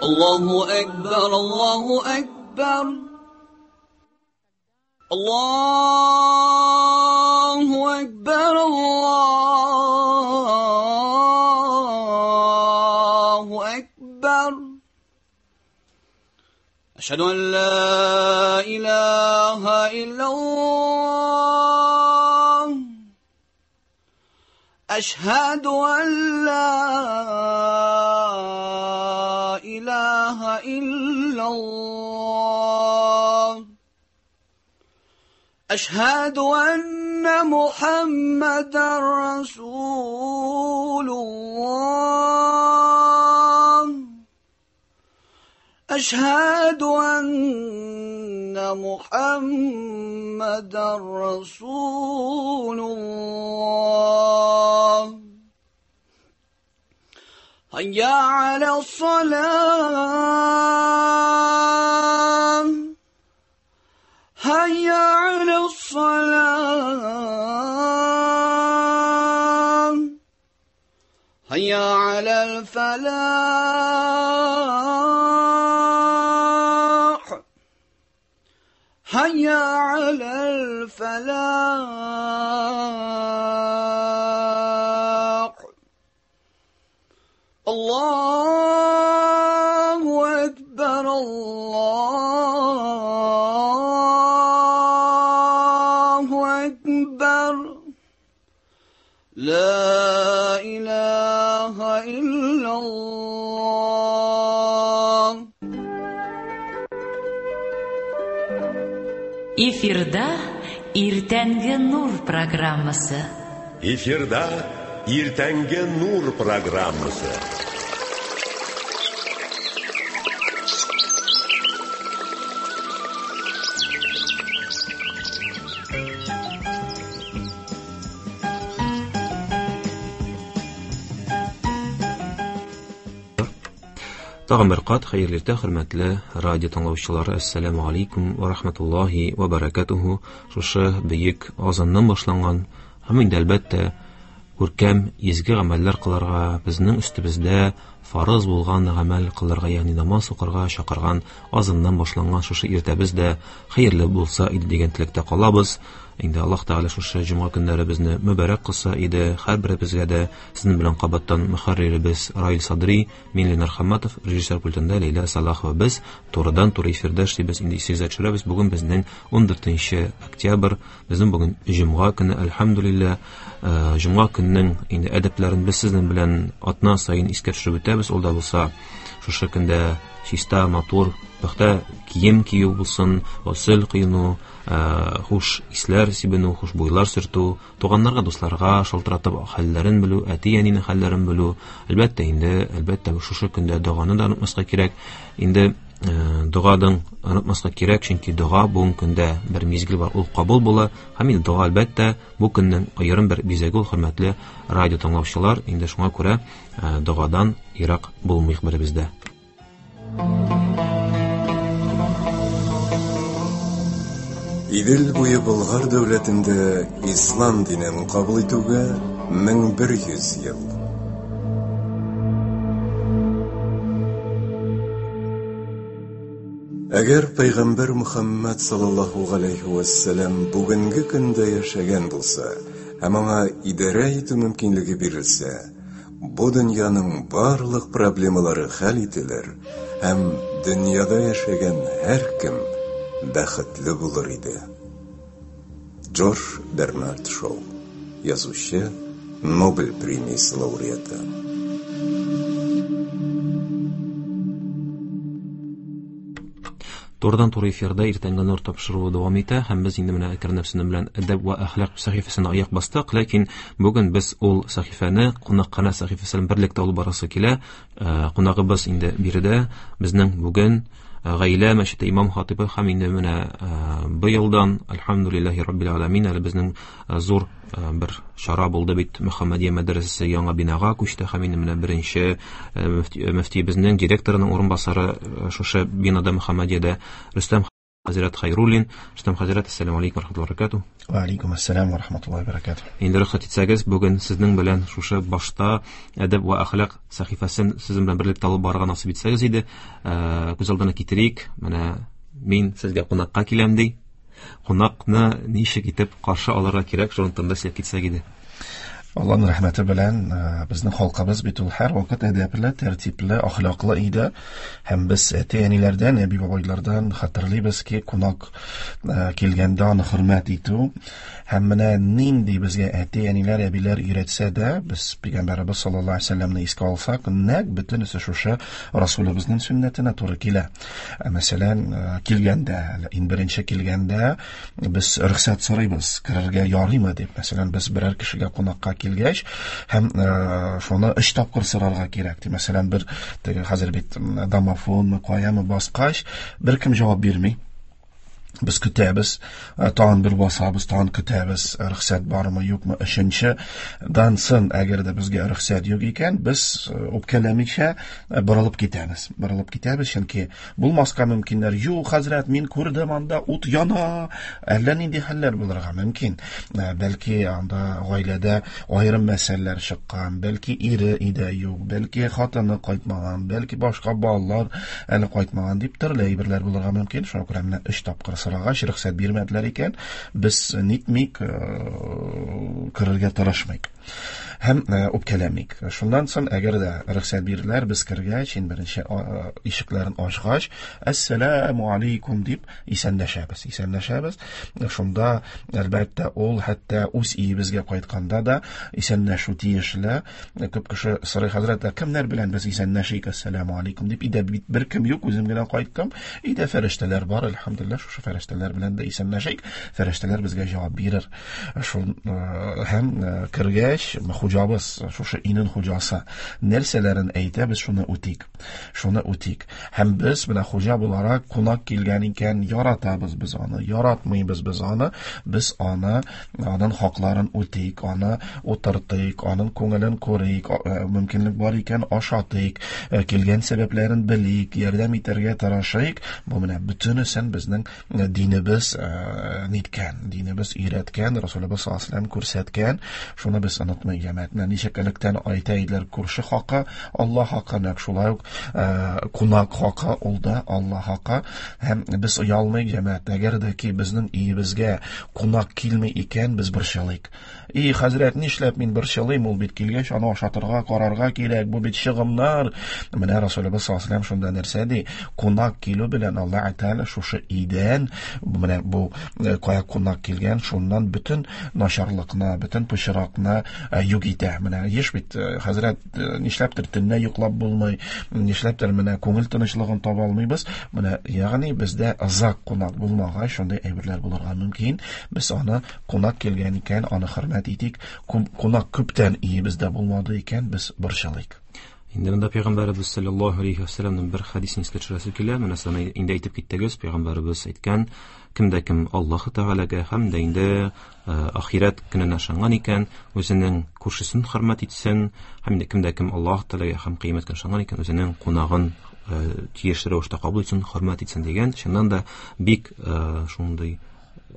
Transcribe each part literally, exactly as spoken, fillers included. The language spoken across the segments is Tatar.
الله أكبر الله أكبر الله أكبر الله أكبر أشهد أن لا إله إلا الله أشهد أن لا إله إلا الله أشهد أن محمدا رسول الله أشهد أن محمدا رسول الله هيا على الصلاة هيا على الصلاة هيا على الفلاح هيا على الفلاح الله أكبر الله أكبر لا إله إلا الله. Эфирда Иртәнге нур программасы. Эфирда Иртәнге нур программасы. Тагын бер кат хәерле иртә, хөрмәтле радио тыңлаучылары. Ассаламу алейкум ва рахматуллахи ва баракатуху. Шушы бөек азаннан башланган һәм инде әлбәттә күркәм изге гамәлләр кылырга, безнең өстебездә фарыз булган гамәл кылырга, ягъни намаз укырга чакырган азаннан башланган шушы иртәбез дә хәерле булса иде дигән теләктә калабыз. Инде Аллаһ Тәгалә шушы җомга көннәребезне мөбарәк кылса иде. Һәрберебезгә дә сезнең белән кабаттан мөхәрриребез Раил Садри, мин Ленар Хамматов, режиссер пультында Ләйлә Салахова. Без турыдан-туры эфирда эшлибез. Инде исегезгә төшерәбез, бүген безнең ун дүртенче октябрь, безнең бүген җомга көне, әлхәмдүлилләһ. Җомга көненең инде әдәпләрен без сезнең белән атна саен искә төшереп үтәбез. Ул да булса шушы көндә чиста, матур, пөхтә кием кию булсын, госел кыйну, хуш исләр сибенү, хушбуйлар сөртү, туганнарга, дусларга шалтыратып хәлләрен белү, әти-әнинең хәлләрен белү. Әлбәттә инде, әлбәттә шушы көндә доганы да онытмаска кирәк. Инде догадан онытмаска кирәк, чөнки дога бүгенге көндә бер мизгел бар, ул кабул була. Һәм инде дога әлбәттә бу көннең аерым бер бизәге ул, хөрмәтле радио тыңлаучылар. Инде шуңа күрә догадан ерак булмыйк беребездә. Идел буе Болгар дәүләтендә ислам динен кабул итүгә мең бер йөз ел. Әгәр Пәйгамбәр Мөхәммәд саллаллаһу галәйһи вә сәлләм бүгенге көндә яшәгән булса һәм аңа идарә итү мөмкинлеге бирелсә, бу дөньяның барлык проблемалары хәл ителер һәм дөньяда яшәгән һәркем бәхетле булыр иде. Джордж Бернард Шоу, язучы, Нобель премиясе лауреаты. Турыдан-туры эфирда Иртәнге нур тапшыруы дәвам итә һәм без инде менә әкренләп сезнең белән әдәп ва әхлак сәхифәсенә аяк бастык, ләкин бүген без ул сәхифәне кунакханә сәхифәсе белән берлектә алып барасы килә. Кунагыбыз инде биредә безнең бүген Гаилә мәчете имам хатибы һәм инде менә быелдан әлхәмдүлилләһи раббил аламин әле безнең зур бер чара булды бит, Мөхәммәдия мәдрәсәсе яңа бинага күчте һәм инде менә беренче мөфтиебезнең директорының урынбасары шушы бинада Мөхәммәдиядә Рөстәм Хәзрәт Хайруллин. Рөстәм хәзрәт, ассаламу алейкум ва рахматуллаһи ва баракатуһ. Ва алейкум ассалам ва рахматуллаһи ва баракатуһ. Инде рөхсәт итсәгез, бүген сезнең белән шушы башта әдәп ва әхлак сәхифәсен сезнең белән берлектә алып барырга насыйп итсәгез иде. Күз алдына китерик, менә мин сезгә кунакка киләм ди. Кунакны ничек итеп каршы алырга кирәк, шуның турында сөйләп китсәк иде. Аллаһның рәхмәте белән безнең халкыбыз бит ул һәр вакыт әдәпле, тәртипле, әхлаклы иде. Һәм без әти-әниләрдән, әби-бабайлардан хәтерлибез ки, кунак килгәндә аны хөрмәт итү. Һәм менә нинди безгә әти-әниләр, әбиләр өйрәтсә дә, без Пәйгамбәребез саллаллаһу алейһи ва сәлләмне искә алсак, нәкъ бөтенесе шушы Расулыбызның сөннәтенә туры килә. Мәсәлән, килгәндә, иң беренче килгәндә без рөхсәт сорыйбыз, керергә ярыймы дип. Мәсәлән, без берәр кешегә кунакка килгәч һәм шуны өч тапкыр сорарга кирәк. Мәсәлән, бер теге хәзер бит домофонмы, каямы баскач, беркем җавап бирми. Без көтәбез, тагын бер басабыз, тагын көтәбез, рөхсәт бармы, юкмы. Өченче дансын, әгәр дә безгә рөхсәт юк икән, без үпкәләмичә борылып китәбез. Борылып китәбез, чөнки булмаска мөмкиннәр. Юк, хәзрәт, мин күрдем анда ут яна. Әллә нинди хәлләр булырга мөмкин. Бәлки анда гаиләдә аерым мәсьәләләр чыккан, бәлки ире өйдә юк, бәлки хатыны кайтмаган, бәлки башка балалар әле кайтмаган дип төрле әйберләр булырга мөмкин. Шуңа күрә менә өч тапкыр сорагач, рөхсәт бирмәделәр икән, без нитмик, керергә тырышмыйк һәм үпкәләмик. Шуннан соң, әгәр дә рөхсәт бирделәр, без кергәч, иң беренче ишекләрен ачкач, әссәламу алейкум дип исәнләшәбез. Исәнләшәбез. Шунда, әлбәттә, ул хәтта үз өебезгә кайтканда да исәнләшү тиешле. Күп кеше сорый, хәзрәт, кемнәр белән без исәнләшик, әссәламу алейкум дип? Өйдә бит беркем юк, үзем генә кайттым. Өйдә фәрештәләр бар, әлхәмдүлилләһ, шушы фәрештәләр белән дә исәнләшик. Фәрештәләр безгә җавап бирер. Шул һәм кергәч, хуҗабыз, шушы өйнең хуҗасы нәрсәләрен әйтә, без шуны үтик. Шуны үтик. Һәм без менә хуҗа буларак кунак килгән икән, яратабыз без аны, яратмыйбыз без аны, без аны, аның хакларын үтик, аны утыртыйк, аның күңелен күрик, мөмкинлек бар икән ашатыйк, килгән сәбәпләрен белик, ярдәм итәргә тырышыйк. Бу менә бөтенесен безнең динебез ниткән, динебез өйрәткән, Расулыбыз саллаллаһу алейһи ва сәлләм күрсәткән. Шуны без онытмыйк, җәмәгать. Менә ничек электән әйтә иделәр, күрше хакы Аллаһ хакы, нәкъ шулай ук кунак хакы ул да Аллаһ хакы. Һәм без оялмыйк, җәмәгать. Әгәр дә ки безнең өебезгә кунак килми икән, без борчылыйк. И, хәзрәт, нишләп мин борчылыйм, ул бит килгәч, аны ашатырга, карарга кирәк, бу бит чыгымнар. Менә Расулыбыз саллаллаһу алейһи ва сәлләм шунда нәрсә ди? Кунак килү белән Аллаһ Тәгалә шушы өйдән, менә бу кая кунак килгән, шуннан бөтен начарлыкны, бөтен пычракны юк итә. Менә еш бит, хәзрәт, нишләптер төнлә йоклап булмый, нишләптер менә күңел тынычлыгын таба алмыйбыз. Менә, ягъни бездә озак кунак булмагач, шундый әйберләр булырга мөмкин. Без аны кунак килгән икән, аны хөрмәт итик. Кунак күптән өебездә булмады икән, без борчылыйк. Инде монда Пәйгамбәребез саллаллаһу алейһи ва сәлләмнең бер хәдисен искә төшерәсе килә. Менә сез инде әйтеп киттегез, Пәйгамбәребез әйткән, кемдә кем Аллаһ Тәгаләгә һәм дә инде ахирәт көненә ышанган икән, үзенең күршесен хөрмәт итсен, һәм инде кемдә кем Аллаһ Тәгаләгә һәм кыямәт көненә ышанган икән, үзенең кунагын тиешле рәвештә кабул итсен, хөрмәт итсен дигән. Чыннан да бик шундый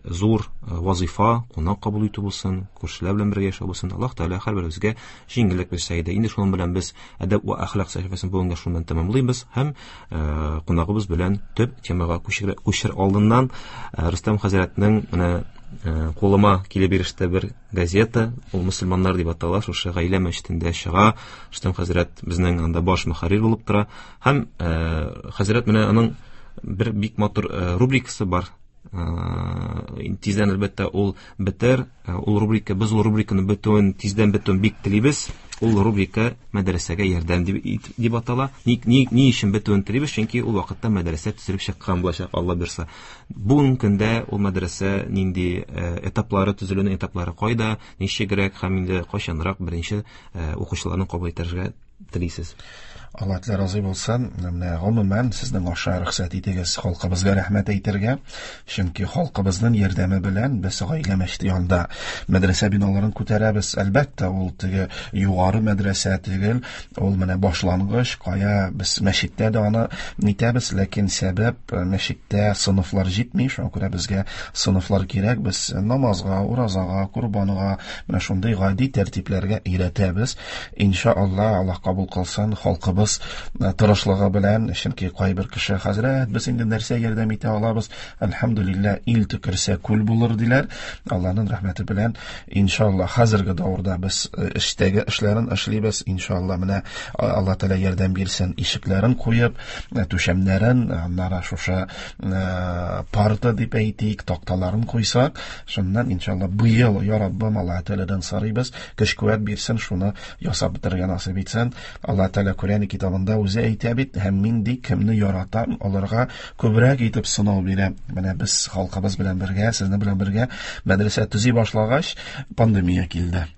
зур вазифа, кунак кабул итү булсын, күршеләр белән бергә яшәү булсын. Аллаһ Тәгалә һәрберебезгә җиңеллек бирсә иде. Инде шуның белән без әдәп ва әхлак сәхифәсен бүгенгә шуның белән тәмамлыйбыз һәм кунагыбыз белән төп темага күчер, күчер алдыннан Рөстәм хәзрәтнең менә кулыма килеп иреште бер газета, ул мөселманнар дип атала, шушы гаилә мәчетендә чыга. Рөстәм хәзрәт безнең анда баш мөхәррир булып тора һәм хәзрәт менә аның бер бик матур рубрикасы бар. Тиздән әлбәттә ул бетер, ул рубрика, без ул рубриканы бетүен, тиздән бетүен бик телибез. Ул рубрика мәдрәсәгә ярдәм дип, дип атала. Ни, ни, ни өчен бетүен телибез? Чөнки ул вакытта мәдрәсә төзелеп чыккан булачак, Алла бирса. Бүгенге көндә ул мәдрәсә нинди этаплары, төзелүнең этаплары кайда, ничегрәк һәм инде кайчанрак беренче укучыларны кабул итәргә телисез? Алла Тәгалә разый булсын. Менә гомумән сезнең аша рөхсәт итегез халкыбызга рәхмәт әйтергә. Чөнки халкыбызның ярдәме белән без гаилә мәчете янында мәдрәсә биналарын күтәрәбез. Әлбәттә, ул теге югары мәдрәсә түгел, ул менә башлангыч, кая без мәчеттә дә аны нитәбез, ләкин сәбәп мәчеттә сыныфлар җитми, шуңа күрә безгә сыныфлар кирәк. Без намазга, уразага, корбанга, менә шундый гади тәртипләргә өйрәтәбез. Иншалла, Аллаһ кабул кылсын, халкыбыз тырышлыгы белән, чөнки кайбер кеше хәзрәт, без инде нәрсә ярдәм итә алабыз? Әлхәмдүлилләһ, ил төкерсә күл булыр диләр. Аллаһның рәхмәте белән, иншалла, хәзерге дәврда без эштәге эшләрен эшлибез. Иншалла, менә Алла Тәгалә ярдәм бирсен, ишекләрен куеп, түшәмнәрен, аннары шушы парта дип әйтик, такталарын куйсак, шуннан иншалла быел, я Раббым, Алла Тәгаләдән сорыйбыз, көч-куәт бирсен, шуны ясап бетерергә насыйп итсен. Алла Тәгалә Коръән китабында үзе әйтә бит, һәм мин ди кемне яратам, аларга күбрәк итеп сынау бирәм. Менә без халкыбыз белән бергә, сезнең белән бергә мәдрәсә төзи башлагач, пандемия килде.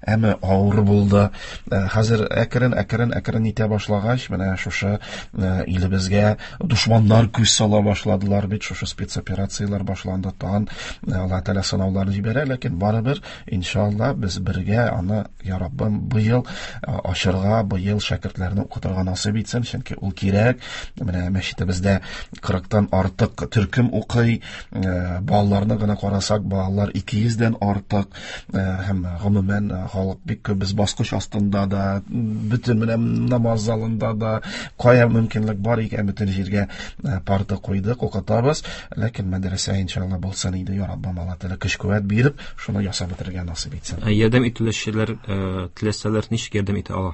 Әмма авыр булды. Хәзер әкрен әкрен әкрен итә башлагач, менә шушы илебезгә дошманнар күз сала башладылар бит, шушы спецоперацияләр башланды. Тагын Алла Тәгалә сынауларын җибәрә, ләкин барыбер иншалла без бергә аны, я Раббым, быел ачырга, быел шәкертләрне укытырга насыйп итсен, чөнки ул кирәк. Менә мәчетебездә кырыктан артык төркем укый, балаларны гына карасак, балалар ике йөздән артык, һәм гомумән халык бик күп. Без баскыч астында да, бөтен менә намаз залында да, кая мөмкинлек бар икән, бөтен җиргә парта куйдык, укытабыз. Ләкин мәдрәсә иншалла булсын иде, я Раббым, Алла Тәгалә көч-куәт биреп, шуны ясап бетерергә насыйп итсен. Ярдәм итүчеләр теләсәләр ничек ярдәм итә ала?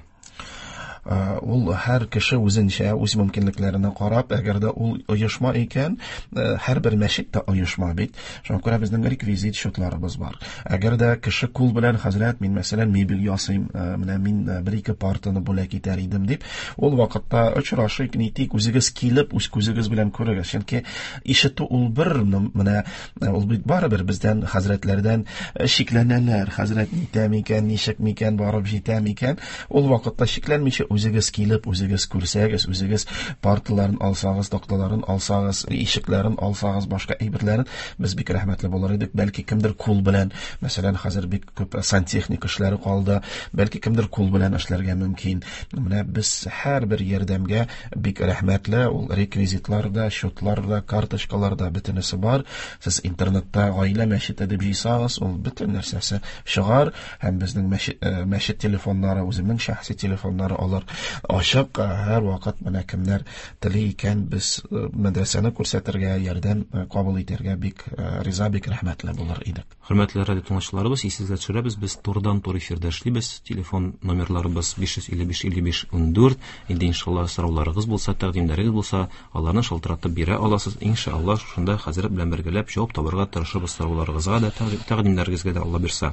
Ул һәр кеше үзенчә, үз мөмкинлекләренә карап, әгәр дә ул оешма икән, һәрбер мәчет тә оешма бит. Шуңа күрә безнең реквизит счетларыбыз бар. Әгәр дә кеше кул белән, хәзрәт, мин мәсәлән мебель ясыйм, менә мин бер-ике партаны бүләк итәр идем дип, ул вакытта очрашыйк, нитик, үзегез килеп, үз күзегез белән күрегез. Чөнки ишетү ул бер, менә ул бит барыбер бездән, хәзрәтләрдән шикләнәләр. Хәзрәт нитә микән, ничек микән, барып җитә микән? Ул вакытта шикләнмичә үзегез килеп, үзегез күрсәгез, үзегез парталарын алсагыз, такталарын алсагыз, ишекләрен алсагыз, башка әйберләрен, без бик рәхмәтле булыр идек. Бәлки кемдер кул белән, мәсәлән, хәзер бик күп сантехник эшләре калды, бәлки кемдер кул белән эшләргә мөмкин. Менә без һәрбер ярдәмгә бик рәхмәтле. Ул реквизитлар да, счетлар да, карточкалар да, бөтенесе бар. Сез интернетта гаилә мәчете дип җыйсагыз, ул бөтен нәрсәсе чыгар. Һәм безнең мәчет, мәчет телефоннары, үземнең шәхси телефоннары, алар ачык. Һәр вакыт менә кемнәр тели икән, без мәдрәсәне күрсәтергә, ярдәм кабул итәргә бик риза, бик рәхмәтле булыр идек. Хөрмәтле радио тыңлаучыларыбыз, исегезгә төшерәбез, без турыдан-туры эфирда эшлибез. Телефон номерларыбыз биш йөз илле биш илле биш ундүрт. Инде иншалла сорауларыгыз булса, тәкъдимнәрегез булса, аларны шалтыратып бирә аласыз. Иншалла шушында хәзрәт белән бергәләп җавап табарга тырышырбыз сорауларыгызга да, тәкъдимнәрегезгә дә, Алла бирсә.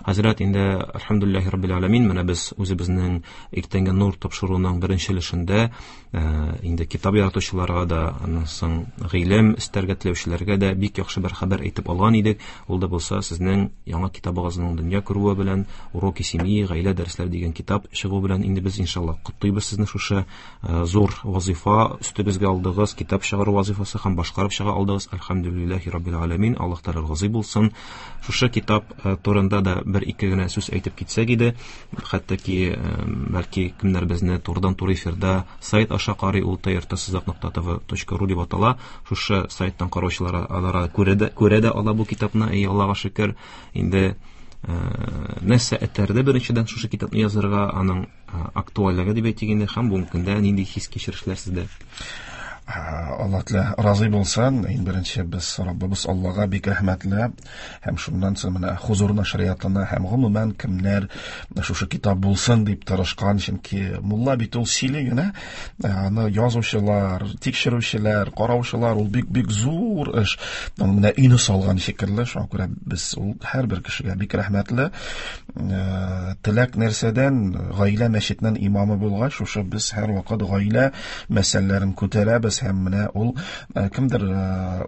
Хәзрәт, инде әлхәмдүлилләһи раббил аламин, менә без үзебезнең иртәнге нур тапшыруының беренче өлешендә инде китап яратучыларга да, аннан соң гыйлем эстәргә теләүчеләргә дә бик яхшы бер хәбәр әйтеп алган идек. Ул да булса сезнең яңа китабыгызның дөнья күрүе белән, Уроки семьи, гаилә дәресләре дигән китап чыгу белән инде без иншалла котлыйбыз сезне шушы зур вазифа өстегезгә алдыгыз, китап чыгару вазифасы һәм башкарып чыга алдыгыз. Әлхәмдүлилләһи раббил аламин, Аллаһ Тәгалә разый булсын. Шушы китап турында да бер-ике генә сүз әйтеп китсәк иде, хәтта ки бәлки кемнәр безне турыдан-туры эфирда сайт аша карый, ул т р т сызык нокта тв точка ру дип атала. Шушы сайттан караучылар алар күрә дә, күрә дә ала бу китапны. Эй, Аллаһка шөкер, инде нәрсә этәрде беренчедән шушы китапны язырга, аның актуальлеге дип әйтик инде, һәм бүгенге көндә нинди хис-кичерешләр сездә? Алла Тәгалә разый булсын. Иң беренче без Раббыбыз Аллага бик рәхмәтле, һәм шуннан соң менә Хузур нәшриятына һәм гомумән кемнәр шушы китап булсын дип тырышкан, чөнки мулла бит ул сөйли генә, аны язучылар, тикшерүчеләр, караучылар, ул бик-бик зур эш. Аны менә өйне салган шикелле, шуңа күрә без ул һәрбер кешегә бик рәхмәтле. Теләк нәрсәдән, гаилә мәчетенең имамы булгач, шушы без һәрвакыт гаилә мәсьәләләрен күтәрәбез. итәбез. Һәм менә ул кемдер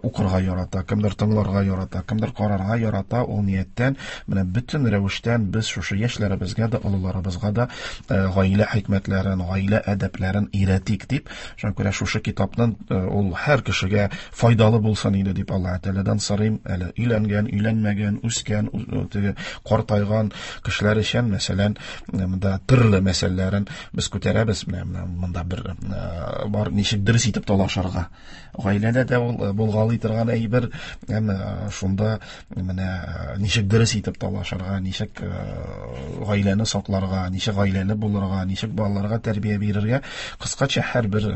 укырга ярата, кемдер тыңларга ярата, кемдер карарга ярата, ул нияттән менә бөтен рәвештән без шушы яшьләребезгә дә, олыларыбызга да гаилә хикмәтләрен, гаилә әдәпләрен өйрәтик дип, шуңа күрә шушы китапның ул һәр кешегә файдалы булсын иде дип Аллаһ Тәгаләдән сорыйм. Әле өйләнгән, өйләнмәгән, үскән, теге картайган кешеләр өчен, мәсәлән, монда төрле мәсьәләләрен без күтәрәбез. Менә монда бер бар ничек дөрес итеп талашырга. Гаиләдә дә ул булгалый торган әйбер, әмма шунда менә ничек дөрес итеп талашырга, ничек гаиләне сакларга, ничек гаиләле булырга, ничек балаларга тәрбия бирергә, кыскача һәрбер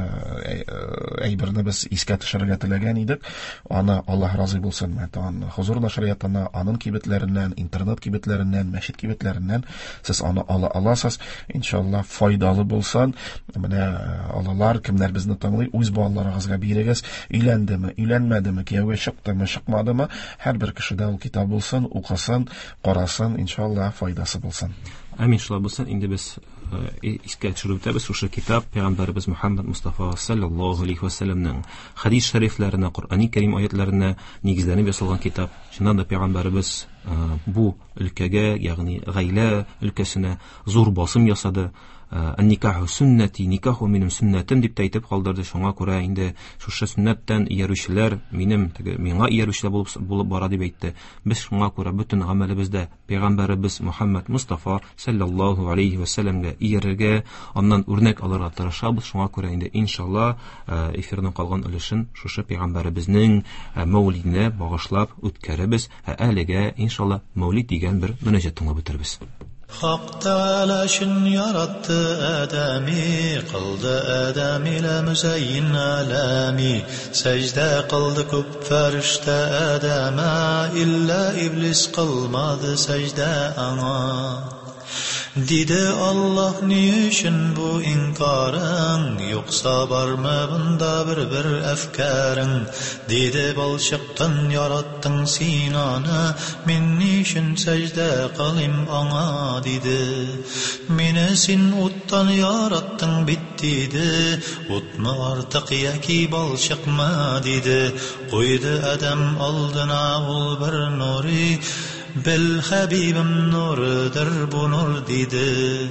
әйберне без искә төшерергә теләгән идек. Аны Аллаһ разый булсын, тагын Хузур нәшриятына, аның кибетләреннән, интернет кибетләреннән, мәчет кибетләреннән сез аны ала аласыз. Иншалла файдалы булсын. Менә алалар, кемнәр безне тыңлый, үз балаларыгызга бирегез. Өйләндеме, өйләнмәдеме, кияүгә чыктымы, чыкмадымы, һәрбер кешедә ул китап булсын, укысын, карасын, иншалла файдасы булсын. Амин, шулай булсын. Инде без искә төшереп үтәбез, шушы китап Пәйгамбәребез Мухаммад Мустафа саллаллаһу алейхи ва сәлләмнең хадис шәрифләренә, Коръәни Кәрим аятларына нигезләнеп ясалган китап. Чыннан да Пәйгамбәребез бу өлкәгә, ягъни гаилә өлкәсенә зур басым ясады. Ан-никаху суннати, никаху минем сөннәтем дип тә әйтеп калдырды. Шуңа күрә инде шушы сөннәттән иярүчеләр минем теге миңа иярүчеләр булып булып бара дип әйтте. Без шуңа күрә бөтен гамәлебездә Пәйгамбәребез Мухаммад Мустафа саллаллаһу алейхи ва сәлләмгә иярергә, аннан үрнәк алырга тырышабыз. Шуңа күрә инде иншалла эфирның калган өлешен шушы Пәйгамбәребезнең мәүлиденә багышлап үткәрәбез. Ә әлегә иншалла мәүлид дигән бер мөнәҗәт тыңлап үтербез. Hak Teala şün yarattı Adem'i, kıldı Adem ile müzeyyin alemi. Secde kıldı küp ferişte Adem'e, illa iblis kılmadı secde ana. Dedi Allah niçin bu inkarın, yoksa var mı bunda bir bir efkarın? Dedi balçıktan yarattın Sinan'ı, min niçin secde kılayım ana dedi. Meni sen ottan yarattın bittiydi, ot mu artık yaki balçık mı dedi. Koydu Adem aldına ol bir nuri, Bil Habibim nurdur bu nur dedi.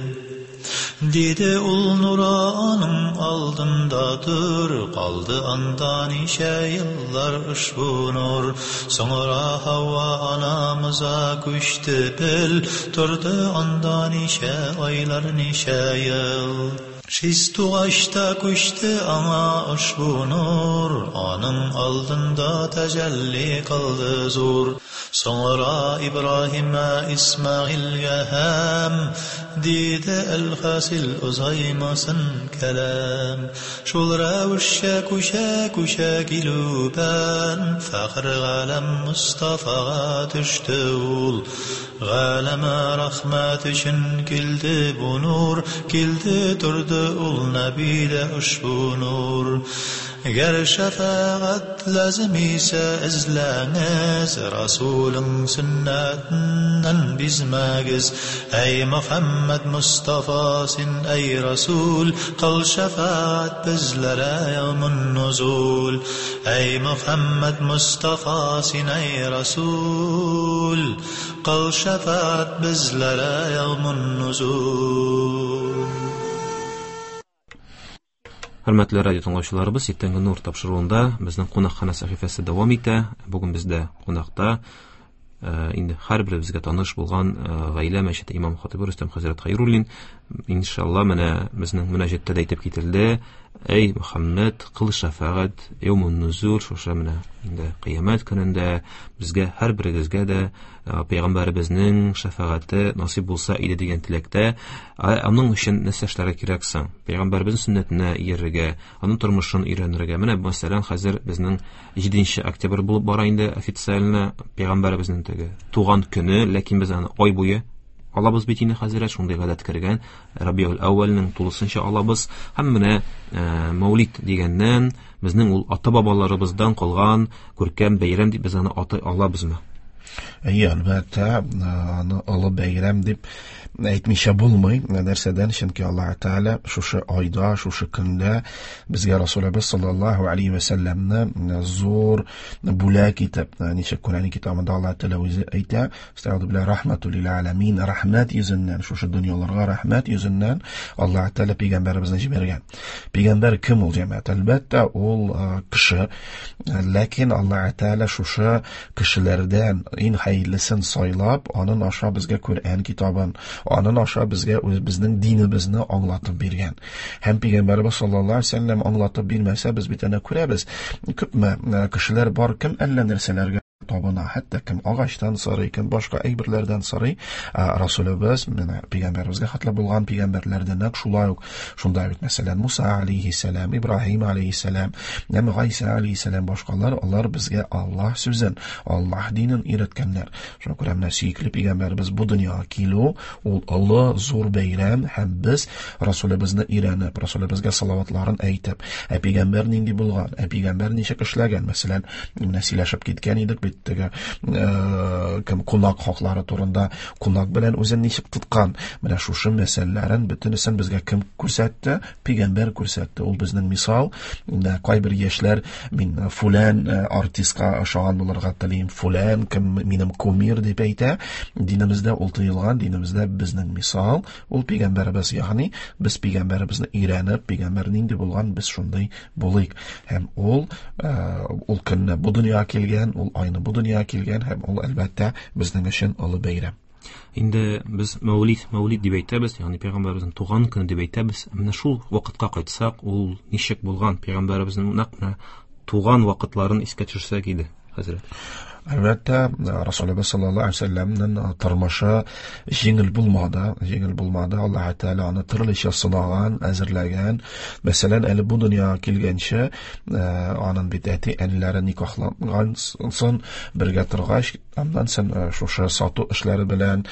Dedi ul nura anın aldında dur, kaldı anda nice yıllar uşbu nur. Sonra Havva anamıza kuştu bil, durdu anda nice aylar nice yıl. Şiz tuğaçta kuştu ana uşbu nur, anın aldında tecelli kıldı zur. Sonra İbrahim'e İsmail'e hem, dedi el-hasil uzaymasın kelam. Şul revşe kuşa kuşa kilüben, fakr galem Mustafa'ya düştü ul. Galeme rahmet için kildi bu nur, kildi durdu ul nebide uşbu nur. Ger şefaat lazım ise izleniz, Resulün sünnetinden bizmegiz. Ey Muhammed Mustafa sin ey Resul, kıl şefaat bizlere yevmun nuzul. Ey Muhammed Mustafa sin ey Resul, kıl şefaat bizlere yevmun nuzul. Hörmətli radio тыңлаучыларыбыз, иртәнге нур тапшыруында безнең кунакхана сәхифәсе дәвам итә. Бүген бездә кунакта инде һәрберебезгә таныш булган гаилә мәчете имам хатибы Рөстәм хәзрәт Хәйруллин. Иншалла менә безнең мөнәҗәттә дә әйтеп кителде. Эй Мөхәммәд, кыл шәфәгать яумун нузур, шушы менә инде кыямәт көнендә безгә һәрберегезгә дә пәйгамбәребезнең шәфәгате насыйп булса иде дигән теләктә. Аның өчен нәрсә эшләргә кирәк соң? Пәйгамбәребезнең сөннәтенә иярергә, аның тормышын өйрәнергә. Менә мәсәлән, хәзер безнең җиденче октябрь булып бара инде официально пәйгамбәребезнең теге туган көне, ләкин без аны ай буе алабыз бит инде хәзрәт, шундый гадәт кергән. Рабиул әүвәлнең тулысынча алабыз. Һәм менә Мәүлид дигәннән безнең ул ата-бабаларыбыздан калган күркәм бәйрәм дип без аны атай алабызмы? Әйе, әлбәттә, аны олы бәйрәм дип әйтмичә булмый. Нәрсәдән? Чөнки Аллаһ Тәгалә шушы айда, шушы көндә безгә Расулыбыз саллаллаһу алейһи вә сәлләмне зур бүләк итеп, ничек Коръән китабында Аллаһ Тәгалә үзе әйтә, "Астагфиру билла рахматул лил аламин", рәхмәт йөзеннән, шушы дөньяларга рәхмәт йөзеннән Аллаһ Тәгалә пәйгамбәребезне җибәргән. Пәйгамбәр кем ул, җәмәгать? Әлбәттә, ул кеше. Ләкин Аллаһ Тәгалә шушы кешеләрдән иң хәерлесен сайлап, анын аша безгә Коръән китабын, анын аша безгә үзебезнең динебезне аңлатып биргән. Һәм пәйгамбәребез саллаллаһу алейһи ва сәлләм аңлатып бирмәсә, без бит әнә күрәбез, күпме кешеләр бар, кем әллә нәрсәләргә табына, хәтта кем агачтан сорый, кем башка әйберләрдән сорый. Расулыбыз, менә пәйгамбәребезгә хәтле булган пәйгамбәрләрдән нәкъ шулай ук, шунда бит, мәсәлән, Муса алейһиссәлам, Ибраһим алейһиссәлам, һәм Гайса алейһиссәлам, башкалар, алар безгә Аллаһ сүзен, Аллаһ динен өйрәткәннәр. Шуңа күрә менә сөекле пәйгамбәребез бу дөньяга килү ул олы зур бәйрәм, һәм без Расулыбызны өйрәнеп, Расулыбызга салаватларын әйтеп, ә пәйгамбәр нинди булган, ә пәйгамбәр ничек эшләгән, мәсәлән, менә сөйләшеп киткән идек бит теге кем кунак хаклары турында, кунак белән үзен ничек тоткан, менә шушы мәсьәләләрен бөтенесен безгә кем күрсәтте? Пәйгамбәр күрсәтте. Ул безнең мисал. Менә кайбер яшьләр, мин фулан артистка ошаган булырга телим, фулан кем минем кумир дип әйтә. Динебездә ул тыелган, динебездә безнең мисал ул пәйгамбәребез, ягъни без пәйгамбәребезне өйрәнеп, пәйгамбәр нинди булган, без шундый булыйк. Һәм ул ул көнне бу дөньяга килгән, ул айны бу дөньяга килгән, һәм ул әлбәттә безнең өчен олы бәйрәм. Инде без Мәүлид, Мәүлид дип әйтәбез, ягъни пәйгамбәребезнең туган көне дип әйтәбез. Менә шул вакытка кайтсак, ул ничек булган, пәйгамбәребезнең нәкъ менә туган вакытларын искә төшерсәк иде, хәзрәт. Әлбәттә, Расулыбыз саллаллаһу алейһи ва сәлләмнең тормышы җиңел булмады, җиңел булмады. Аллаһ Тәгалә аны төрлечә сынаган, әзерләгән. Мәсәлән, әле бу дөньяга килгәнче, аның бит әти-әниләре никахланган соң бергә торгач, аннан соң шушы сату эшләре белән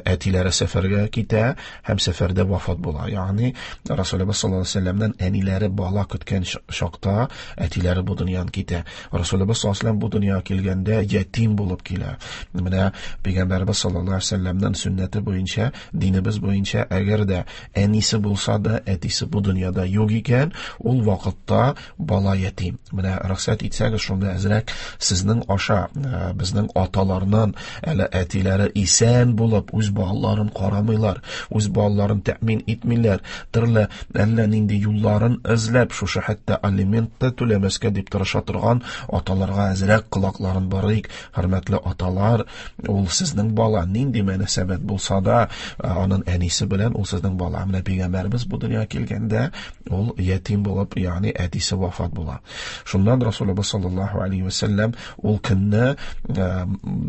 әтиләре сәфәргә китә һәм сәфәрдә вафат була. Ягъни Расулыбыз саллаллаһу алейһи ва сәлләмнең әниләре бала көткән чакта әтиләре бу дөньядан китә. Расулыбыз саллаллаһу алейһи ва сәлләм бу дөньяга килгәндә ятим булып килә. Менә пәйгамбәребез саллаллаһу алейһи ва сәлләмнең сөннәте буенча, динебез буенча, әгәр дә әнисе булса да, әтисе бу дөньяда юк икән, ул вакытта бала ятим. Менә рөхсәт итсәгез, шунда әзрәк сезнең аша безнең аталарның әле әтиләре исән булып үз балаларын карамыйлар, үз балаларын тәэмин итмиләр, төрле әллә нинди юлларын эзләп, шушы хәтта алимент та түләмәскә дип тырыша торган аталарга әзрәк колакларын барыйк. Хөрмәтле аталар, ул сезнең бала, нинди мөнәсәбәт булса да, аның әнисе белән ул сезнең бала. Менә пәйгамбәребез бу дөньяга килгәндә ул ятим булып, ягъни әтисе вафат була. Шуннан Расулыбыз саллаллаһу алейһи ва сәлләм ул көнне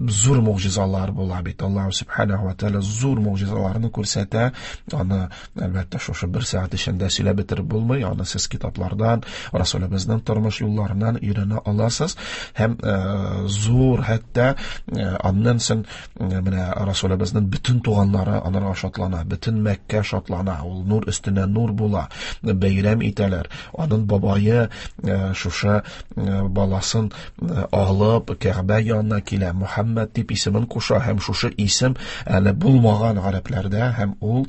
зур мугъҗизалар була бит. Аллаһ субханаһу ва тааля зур мугъҗизаларны күрсәтә. Аны әлбәттә шушы бер сәгать эчендә сөйләп бетереп булмый. Аны сез китаплардан, Расулыбызның тормыш юлларыннан өйрәнә аласыз. Һәм зур хәтта аннан соң менә Расулыбызның бөтен туганнары анарга шатлана, бөтен Мәккә шатлана, ул нур өстенә нур була, бәйрәм итәләр. Аның бабае шушы баласын алып Кәгъбә янына килә, Мухаммад дип исемен куша, һәм шушы исем әле булмаган гарәпләрдә, һәм ул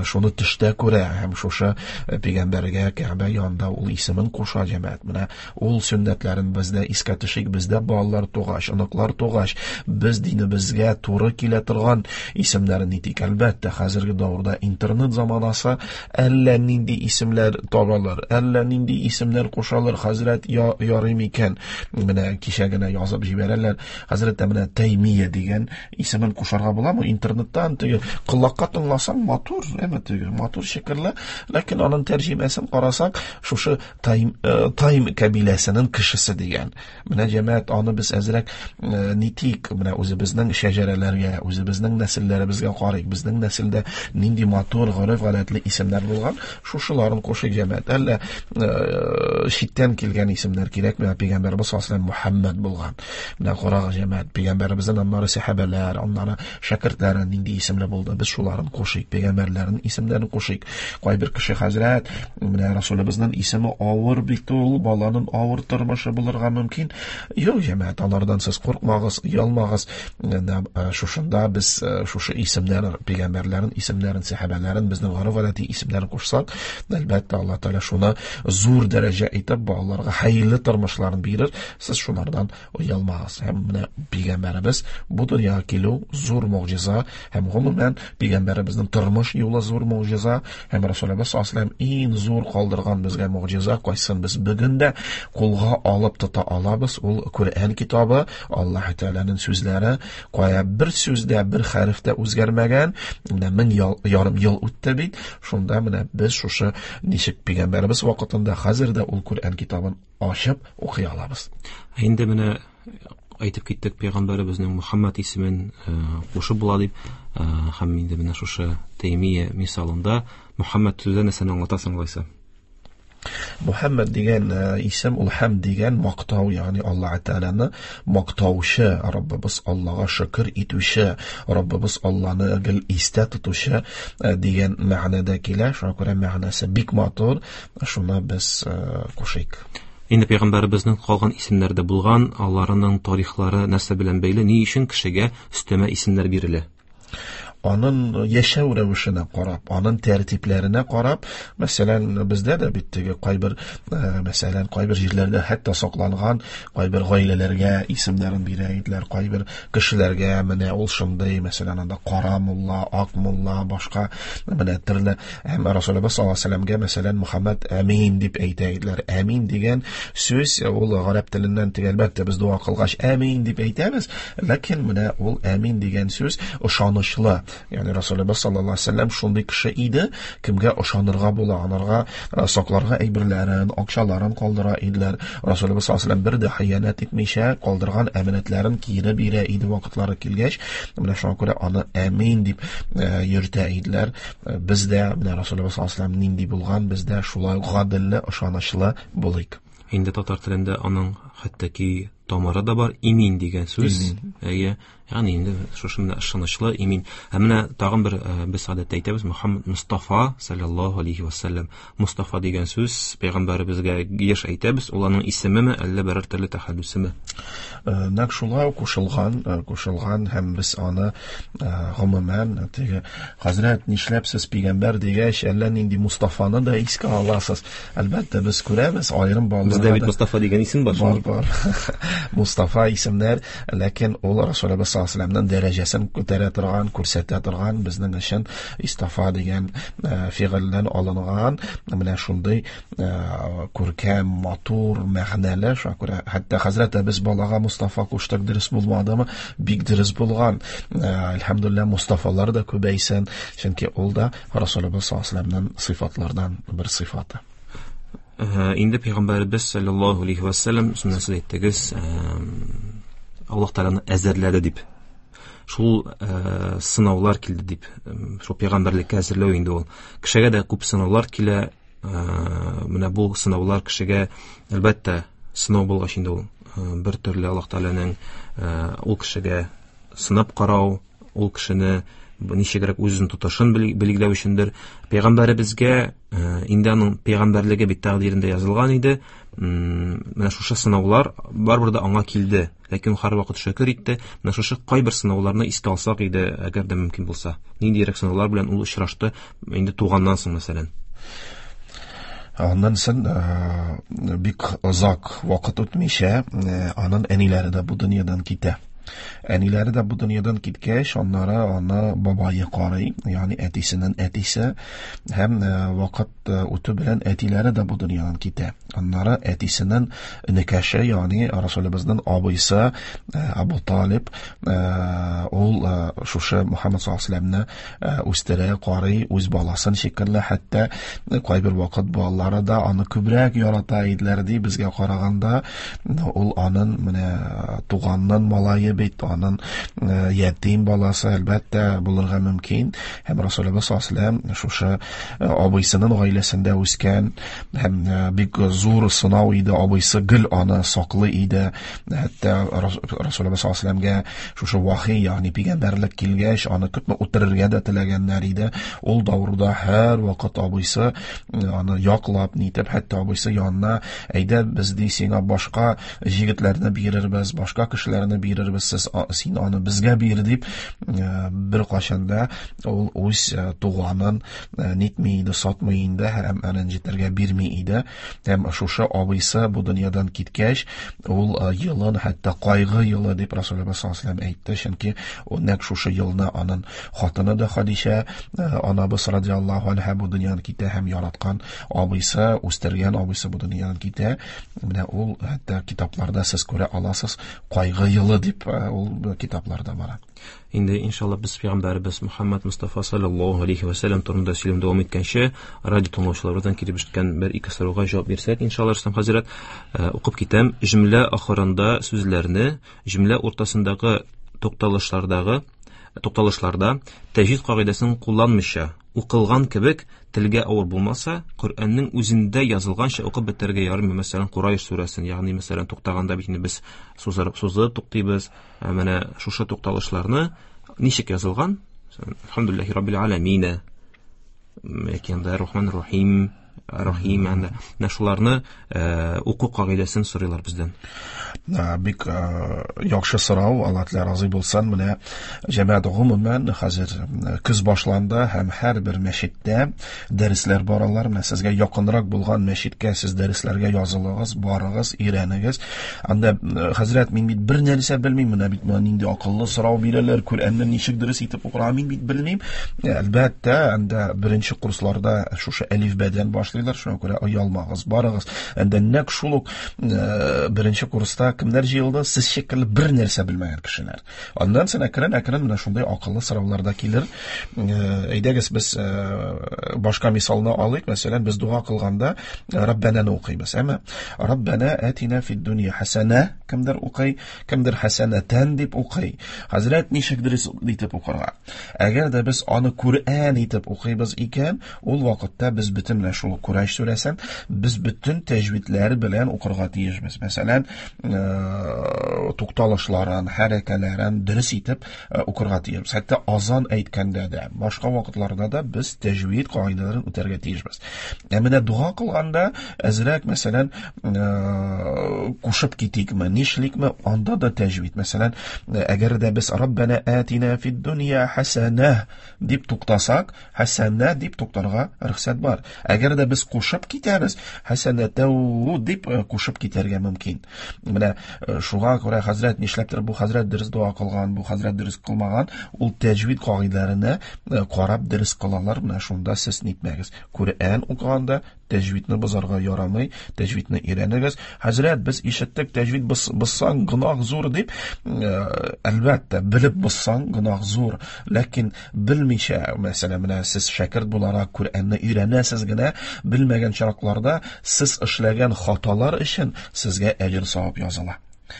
шуны төштә күрә, һәм шушы пәйгамбәргә Кәгъбә янында ул исемен куша, җәмәгать. Менә ул сөннәтләрен бездә искә төшик, бездә балалар тугач, оныклар тугач, без динебезгә туры килә торган исемнәрен итик. Әлбәттә, хәзерге дәвердә интернет заманасы, әллә нинди исемнәр табалар, әллә нинди исемнәр кушалар. Хәзрәт ярый микән? Менә кичә генә язып җибәрәләр. Хәзрәт менә Таймия дигән исемен кушарга буламы? Интернеттан теге колакка тыңласаң матур, әмма теге матур шикелле, ләкин аның тәрҗемәсен карасак, шушы Тайм Тайм кабиләсенең кешесе дигән. Менә җәмәгать, аны без әзрәк нитик, менә үзебезнең шәҗәрәләргә, үзебезнең нәселләребезгә карыйк. Безнең нәселдә нинди матур, гореф-гадәтле исемнәр булган, шушыларын кушыйк, җәмәгать. Әллә Читтән килгән исемнәр кирәкми. Пәйгамбәребез саллаллаһу алейһи ва сәлләм Мухаммад булган. Менә карагыз, җәмәгать, пәйгамбәребезнең аннары сәхабәләр, аннары шәкертләре нинди исемле булды. Без шуларын кушыйк, пәйгамбәрләрнең исемнәрен кушыйк. Кайбер кеше хәзрәт, менә Расулыбызның исеме авыр бит ул, баланың авыр тормышы булырга мөмкин. Юк, җәмәгать, алардан сез куркмагыз, оялмагыз. Шушында без шушы исемнәр, пәйгамбәрләрнең исемнәрен, сәхабәләрен, безнең гореф-гадәти исемнәрен кушсак, әлбәттә, Аллаһ Тәгалә шуны зур дәрәҗә итеп балаларга хәерле тормышларын бирер. Сез шунардан оялмагыз. Һәм менә пәйгамбәребез бу дөньяга килү зур могҗиза, һәм гомумән пәйгамбәребезнең тормыш юлы зур могҗиза, һәм Расулыбыз саллаллаһу алейһи ва сәлләм иң зур калдырган безгә могҗиза, кайсын без бүген дә кулга алып тота алабыз, ул Коръән китабы, Аллаһ Тәгаләнең сүзләре, кая бер сүздә, бер хәреф тә үзгәрмәгән. Менә мең ярым ел үтте бит. Шунда менә без шушы ничек пәйгамбәребез вакытында хәзер дә ул Коръән китабын ачып укый алабыз. Инде менә әйтеп киттек пәйгамбәребезнең Мухаммад исемен кушып була дип, һәм инде менә шушы Тәймия мисалында Мухаммад сүзе нәрсәне аңлатасың алайса? Мухаммад дигән исем ул хәм дигән мактау, ягъни Аллаһ Тәгаләне мактаучы, Раббыбыз Аллаһка шөкер итүче, Раббыбыз Аллаһны гел истә тотучы дигән мәгънәдә килә. Шуңа күрә мәгънәсе бик матур, шуны без кушыйк. Инде пәйгамбәребезнең калган исемнәре дә булган, аларның тарихлары нәрсә белән бәйле, ни өчен кешегә өстәмә исемнәр бирелә? Аның яшәү рәвешенә карап, аның тәртипләренә карап, мәсәлән, бездә дә бит теге кайбер, мәсәлән, кайбер җирләрдә хәтта сакланган кайбер гаиләләргә исемнәрен бирә иделәр, кайбер кешеләргә менә ул шундый, мәсәлән, анда кара мулла, ак мулла, башка менә төрле. Һәм Расулыбыз саллаллаһу алейһи ва сәлләмгә, мәсәлән, Мухаммад Әмин дип әйтә иделәр. Әмин дигән сүз ул гарәп теленнән, әлбәттә, без дуа кылгач әмин дип әйтәбез, ләкин менә ул әмин дигән сүз ышанычлы. Ягъни Расулыбыз саллаллаһу алейһи ва сәлләм шундый кеше иде, кемгә ышанырга була, анарга сакларга әйберләрен, акчаларын калдыра иделәр. Расулыбыз саллаллаһу алейһи ва сәлләм бер дә хыянәт итмичә калдырган әманәтләрен кире бирә иде вакытлары килгәч. Менә шуңа күрә аны әмин дип йөртә иделәр. Без дә менә Расулыбыз саллаллаһу алейһи ва сәлләм нинди булган, без дә шулай гаделле, ышанычлы булыйк. Инде татар телендә аның хәтта ки тамыры да бар, имин дигән сүз. Әйе, ягъни инде шушы менә ышанычлы, имин. Ә менә тагын бер без гадәттә әйтәбез, Мухаммад Мустафа саллаллаһу алейһи ва сәлләм. Мустафа дигән сүз пәйгамбәребезгә еш әйтәбез, ул аның исемеме, әллә берәр төрле тәхәллүсеме? Нәкъ шулай кушылган, кушылган һәм без аны гомумән теге хәзрәт нишләп сез пәйгамбәр дигәч, әллә нинди Мустафаны да искә аласыз. Әлбәттә, без күрәбез аерым балаларда. Бездә бит Мустафа дигән исем бар. Бар, бар. Мустафа исемнәр, ләкин ул Расулыбыз саллаллаһу алейһи ва сәлләмнең дәрәҗәсен күтәрә торган, күрсәтә торган, безнең өчен Истафа дигән фигыльдән алынган менә шундый күркәм, матур, мәгънәле. Шуңа күрә хәтта хәзрәт без балага Мустафа куштык, дөрес булмадымы? Бик дөрес булган. Әлхәмдүлилләһ, Мустафалар да күбәйсен, чөнки ул да Расулыбыз саллаллаһу алейһи ва сәлләмнең сыйфатлардан бер сыйфаты. Инде пәйгамбәребез саллаллаһу алейһи ва сәлләм сөннәсен әйттегез, Аллаһ Тәгаләне әзерләде дип. Шул сынаулар килде дип, шул пәйгамбәрлеккә әзерләү инде ул. Кешегә дә күп сынаулар килә. Менә бу сынаулар кешегә әлбәттә сынау булгач инде ул бер төрле Аллаһ Тәгаләнең ул кешегә сынап карау, ул кешене ничегрәк үзен тотышын билгеләү өчендер. Пәйгамбәребезгә инде аның пәйгамбәрлеге бит тәкъдирендә язылган иде. Менә шушы сынаулар барыбер дә аңа килде. Ләкин ул һәрвакыт шөкер итте. Менә шушы кайбер сынауларны искә алсак иде, әгәр дә мөмкин булса. Ниндирәк сынаулар белән ул очрашты инде туганнан соң, мәсәлән? Аннан соң бик озак вакыт үтмичә, аның әниләре дә бу дөньядан китә. Әниләре дә бу дөньядан киткәч, аннары аны бабайы карый, ягъни әтисенең әтисе, һәм вакыт үтү белән әтиләре дә бу дөньядан китә. Аннары әтисенең энекәше, ягъни Расулыбызның абыйсы Абу Талиб, ул шушы Мухаммад саллаллаһу алейһи ва сәлләмне үстерә, карый, үз баласын шикелле, хәтта кайбер вакыт балалары да аны күбрәк ярата иделәр ди безгә караганда. Ул аның менә туганның малае бит, аның ятим баласы әлбәттә булырга мөмкин. Һәм Расулыбыз саллаллаһу алейһи ва сәлләм шушы абыйсының гаиләсендә үскән һәм бик зур сынау иде, абыйсы гел аны саклый иде. Хәтта Расулыбыз саллаллаһу алейһи ва сәлләмгә шушы вахи, ягъни пәйгамбәрлек килгәч, аны күпме үтерергә дә теләгәннәр иде. Ул давырда һәр вакыт абыйсы аны яклап, нитеп, хәтта абыйсы янына, әйдә, без ди сиңа башка җегетләрне бирербез, башка кешеләрне бирербез, сез син аны безгә бир дип, бер кашанда ул үз туганын нитми иде, сатмый инде һәм рәнҗетергә бирми иде. Һәм шушы абыйсы бу дөньядан киткәч, ул елын хәтта кайгы елы дип Расулыбыз саллаллаһу алейһи ва сәлләм әйтте, чөнки ул нәкъ шушы елны аның хатыны да Хадичә анабыз радиаллаһу анха бу дөньядан китә һәм яраткан абыйсы, үстергән абыйсы бу дөньядан китә. Менә ул хәтта китапларда сез күрә аласыз, кайгы елы дип ул китапларда бара. Инде иншалла без пәйгамбәребез Мухаммад Мустафа саллаллаһу алейһи ва сәлләм турында сөйләм дәвам иткәнче, радио тыңлаучыларыбыздан килеп җиткән бер ике сорауга җавап бирсәк, иншалла Рөстәм хәзрәт, укып китәм. Җөмлә ахырында сүзләрне, җөмлә уртасындагы тукталышлардагы тукталышларда тәҗвид кагыйдәсен кулланмыйча укылган кебек телгә авыр булмаса, Коръәннең үзендә язылганча укып бетерергә ярыймы? Мәсәлән, Курайш сүрәсен, ягъни мәсәлән, туктаганда бит инде без сузып сузып туктыйбыз. Менә шушы тукталышларны ничек язылган? Әлхәмдүлилләһи раббил аламин. Яки анда Рахман Рахим, Рахим, анда менә шуларны уку кагыйдәсен сорыйлар бездән. Бик яхшы сорау, Аллаһ Тәгалә разый булсын. Менә җәмәгать гомумән хәзер көз башланды һәм һәрбер мәчеттә дәресләр баралар. Менә сезгә якынрак булган мәчеткә сез дәресләргә язылыгыз, барыгыз, өйрәнегез. Анда хәзрәт, мин бит бер нәрсә белмим, менә бит менә нинди акыллы сорау бирәләр, Коръәнне ничек дөрес итеп укырга мин бит белмим. Әлбәттә, анда беренче курсларда шушы әлифбәдән башлыйлар, шуңа күрә оялмагыз, барыгыз. Анда нәкъ шул ук беренче курста кемнәр җыелды? Сез шикелле бер нәрсә белмәгән кешеләр. Аннан соң әкрен-әкрен менә шундый акыллы сораулар да килер. Әйдәгез, без башка мисалны алыйк. Мәсәлән, без дуа кылганда Раббананы укыйбыз, әмма Раббана атина фид дөнья хасана кемдер укый, кемдер хасанатан дип укый. Хәзрәт ничек дөрес итеп укырга? Әгәр дә без аны Коръән итеп укыйбыз икән, ул вакытта без бөтен менә шул Курайш сүрәсен без бөтен тәҗвидләр белән укырга тиешбез. Мәсәлән, тукталышларын, хәрәкәләрен дөрес итеп укырга тиешбез. Хәтта азан әйткәндә дә, башка вакытларда да без тәҗвид кагыйдәләрен үтәргә тиешбез. Ә менә дуа кылганда әзрәк, мәсәлән, кушып китикме, нишликме, анда да тәҗвид. Мәсәлән, әгәр дә без Раббана атина фид дөнья хасана дип туктасак, хасана дип туктарга рөхсәт бар. Әгәр дә без кушып китәбез, хасанатау дип кушып китәргә мөмкин. Менә шуңа күрә хәзрәт нишләптер бу хәзрәт дөрес дуа кылган, бу хәзрәт дөрес кылмаган, ул тәҗвид кагыйдәләренә карап дөрес кылалар. Менә шунда сез нитмәгез. Коръән укыганда тәҗвидне бозарга ярамый, тәҗвидне өйрәнегез. Хәзрәт, без ишеттек, тәҗвид бозсаң гөнаһ зур дип, әлбәттә, белеп бозсаң гөнаһ зур, ләкин белмичә, мәсәлән, менә сез шәкерт буларак Коръәнне өйрәнәсез генә, белмәгән чакларда сез эшләгән хаталар өчен сезгә әҗер савап языла.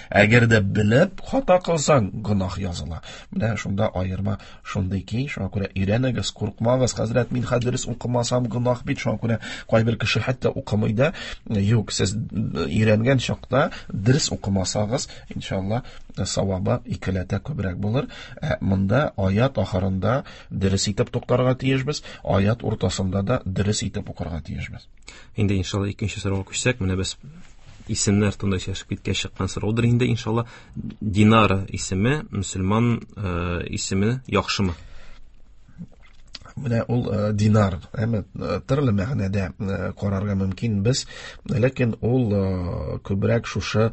Әгәр дә белеп хата кылсаң, гөнаһ языла. Менә шунда аерма шундый ки, шуңа күрә өйрәнегез, куркмагыз. Хәзрәт, мин хәдис укымасам гөнаһ бит, шуңа күрә кайбер кеше хәтта укымый да. Юк, сез өйрәнгән чакта дөрес укымасагыз, иншалла, савабы икеләтә күбрәк булыр. Ә монда аят ахырында дөрес итеп туктарга тиешбез, аят уртасында да дөрес итеп укырга тиешбез. Инде иншалла икенче сорауга күчсәк, менә без исемнәр турында сөйләшеп киткәч чыккан сораудыр инде иншалла. Динара исеме мөселман исеме яхшымы? Менә ул динар, әмма төрле мәгънәдә карарга мөмкин без, ләкин ул күбрәк шушы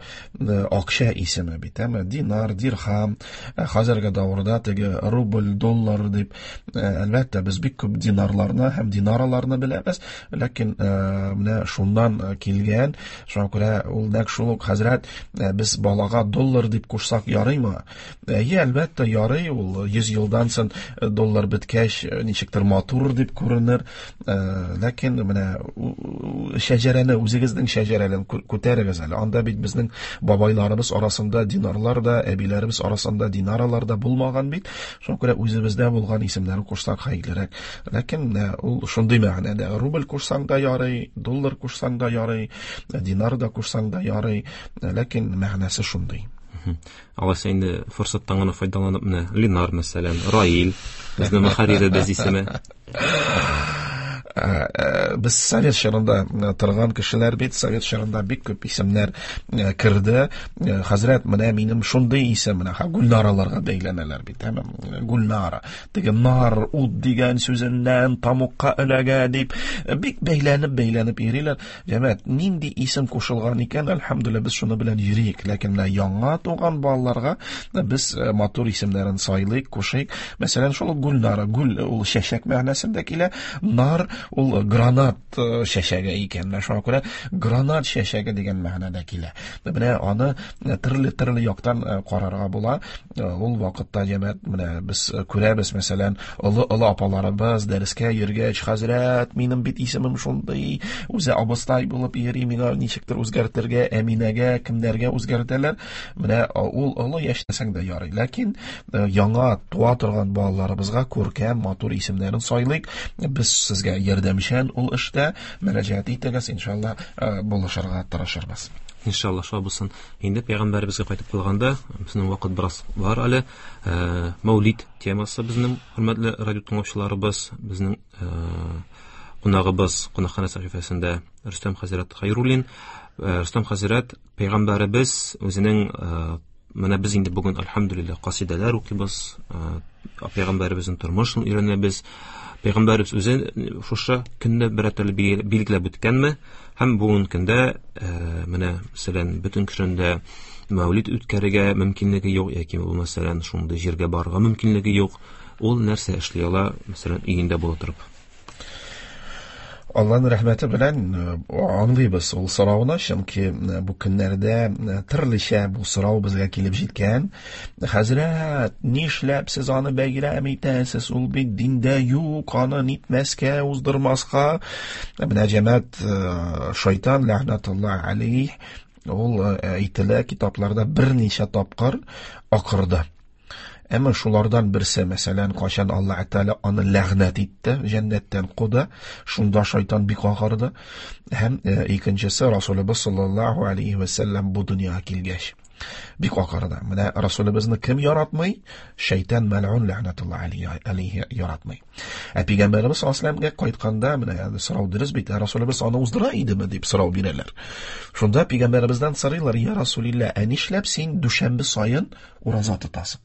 акча исеме бит, әмма динар, дирхам, хәзерге дәвердә теге рубль, доллар дип, әлбәттә, без бик күп динарларны һәм динараларны беләбез, ләкин менә шуннан килгән, шуңа күрә ул нәкъ шул ук хәзрәт, без балага доллар дип кушсак ярыймы? Әйе, әлбәттә, ярый, ул йөз елдан соң доллар беткәч, ничек ничектер матур дип күренер. Ләкин менә шәҗәрәне, үзегезнең шәҗәрәне күтәрегез әле. Анда бит безнең бабайларыбыз арасында динарлар да, әбиләребез арасында динаралар да булмаган бит. Шуңа күрә үзебездә булган исемнәрне кушсак хәерлерәк. Ләкин ул шундый мәгънәдә: рубль кушсаң да ярый, доллар кушсаң да ярый, динар да кушсаң да ярый, ләкин мәгънәсе шундый. Алайса инде форсаттан гына файдаланып, менә Ленар, мәсәлән, Раил, безнең мөхәрриребез исеме. Без совет чорында торган кешеләр бит, совет чорында бик күп исемнәр керде. Хәзрәт, менә минем шундый исем, менә Гульнараларга бәйләнәләр бит, әмма Гульнара, теге нар, ут дигән сүзеннән тамукка эләгә дип бик бәйләнеп бәйләнеп йөриләр. Җәмәгать, нинди исем кушылган икән, әлхәмдүлилләһ, без шуны белән йөрик. Ләкин менә яңа туган балаларга без матур исемнәрен сайлыйк, кушыйк. Мәсәлән, шул Гульнара, гүл ул чәчәк мәгънәсендә килә, нар ул гранат чәчәге икән. Менә шуңа күрә гранат чәчәге дигән мәгънәдә килә. Менә аны төрле-төрле яктан карарга була. Ул вакытта җәмәгать, менә без күрәбез, мәсәлән, олы-олы апаларыбыз дәрескә йөргәч, хәзрәт, минем бит исемем шундый, үзе абыстай булып йөри, миңа ничектер үзгәртергә, Әминәгә, кемнәргә үзгәртәләр. Менә ул олы яшьтәсәң дә ярый. Ләкин яңа туа торган балаларыбызга күркәм, матур исемнәрен сайлыйк. Без сезгә ярдәмчән ул эштә мөрәҗәгать итегез, иншалла, булышырга тырышырбыз. Иншалла, шулай булсын. Инде пәйгамбәребезгә кайтып калганда, безнең вакыт бераз бар әле. Мәүлид темасы безнең хөрмәтле радио тыңлаучыларыбыз, безнең кунагыбыз кунакханә сәхифәсендә Рөстәм хәзрәт Хәйруллин. Рөстәм хәзрәт, пәйгамбәребез үзенең, менә без инде бүген әлхәмдүлилләһ касидәләр укыйбыз, пәйгамбәребезнең тормышын өйрәнәбез. Пәйгамбәребез үзе шушы көнне бер төрле билгеләп үткәнме? Һәм бүгенге көндә, менә мәсәлән, бөтен кешенең дә мәүлид үткәрергә мөмкинлеге юк, яки мәсәлән, шундый җиргә барырга мөмкинлеге юк. Ул нәрсә эшли ала, мәсәлән, өендә була торып? Аллаһның рәхмәте белән аңлыйбыз ул сорауны, чөнки бу көннәрдә төрлечә бу сорау безгә килеп җиткән. Хәзрәт, нишләп сез аны бәйрәм итәсез? Ул бит диндә юк, аны нитмәскә, уздырмаска. Менә җәмәгать, шайтан ләгънәтуллаһ алейһ, ул әйтелә китапларда берничә тапкыр акырды. Әмма шулардан берсе, мәсәлән, кайчан Аллаһ Тәгалә аны ләгънәт итте, җәннәттән куды, шунда шайтан бик акырды. Һәм икенчесе Расулыбыз саллаллаһу алейһи ва сәлләм бу дөньяга килгәч бик акырды. Менә Расулыбызны кем яратмый? Шайтан мәлгун ләгънәтуллаһ алейһи яратмый. Ә пәйгамбәребез саллаллаһу алейһи ва сәлләмгә кайтканда, менә сорау дөрес бит, Расулыбыз аны уздыра идеме дип сорау бирәләр. Шунда пәйгамбәребездән сорыйлар: "Я Расулилла, ә нишләп син дүшәмбе саен ураза тотасың?"